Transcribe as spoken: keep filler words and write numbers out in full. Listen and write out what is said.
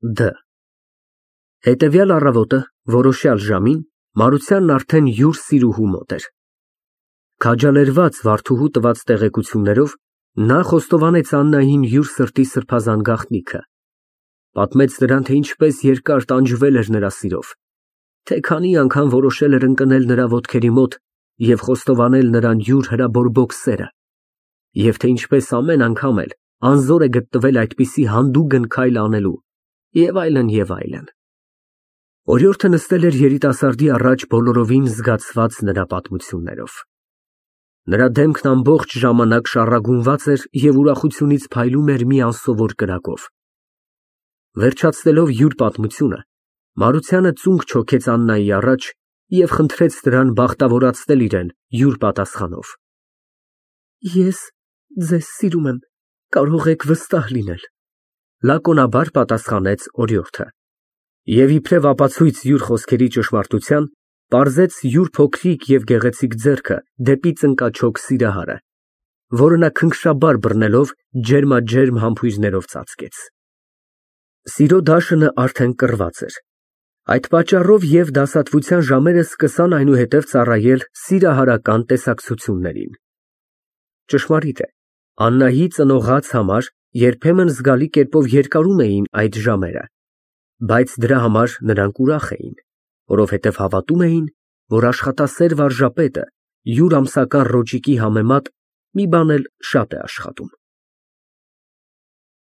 Դ Հետևյալ առավոտը որոշյալ ժամին Մարությանն արդեն յուր սիրուհու մոտ էր։ Քաջալերված Վարդուհու տված տեղեկություններով, նա խոստովանեց Աննային յուր սրտի սրբազան գաղտնիքը, պատմեց նրան, թե ինչպես երկար տանջվել էր նրա սիրով, թե քանի անգամ որոշել էր ընկնել նրա ոտքերի մոտ և խոստովանել նրան յուր հրաբորբոք սերը, և թե ինչպես ամեն անգամ էլ անզոր է գտնվել այդպիսի հանդուգն քայլ անելու և այլն, և այլն։ Օրիորդը նստել էր երիտասարդի առաջ բոլորովին զգացված նրա պատմություններով։ Նրա դեմքն ամբողջ ժամանակ շառագունված էր և ուրախությունից փայլում էր մի անսովոր կրակով։ Վերջացնելով յուր պատմությունը, Մարությանը ծունկ չոքեց Աննայի առաջ և խնդրեց նրան բախտավորացնել իրան յուր պատասխանով։ Ես ձեզ սիրում եմ, կարող եք վստահ լինել, լակոնաբար պատասխանեց օրիորդը և իբրև ապացույց յուր խոսքերի ճշմարտության, պարզեց յուր փոքրիկ և գեղեցիկ ձեռքը դեպի ծնկաչոք Սիրահարը, որը նա քնքշաբար բռնելով ջերմաջերմ համբույրներով ծածկեց։ Սիրո դաշնը արդեն կռված էր, այդ պատճառով և դասադվության ժամերը սկսան այնուհետև ծառայել սիրահարական տեսակցություններին։ Ճշմարիտ է, Աննայի ծնողաց համար երբեմն զգալի կերպով երկարում էին այդ ժամերը, բայց դրա համար նրանք ուրախ էին, որովհետև հավատում էին, որ աշխատասեր վարժապետը յուր ամսական ռոճիկի համեմատ մի բան էլ շատ է աշխատում։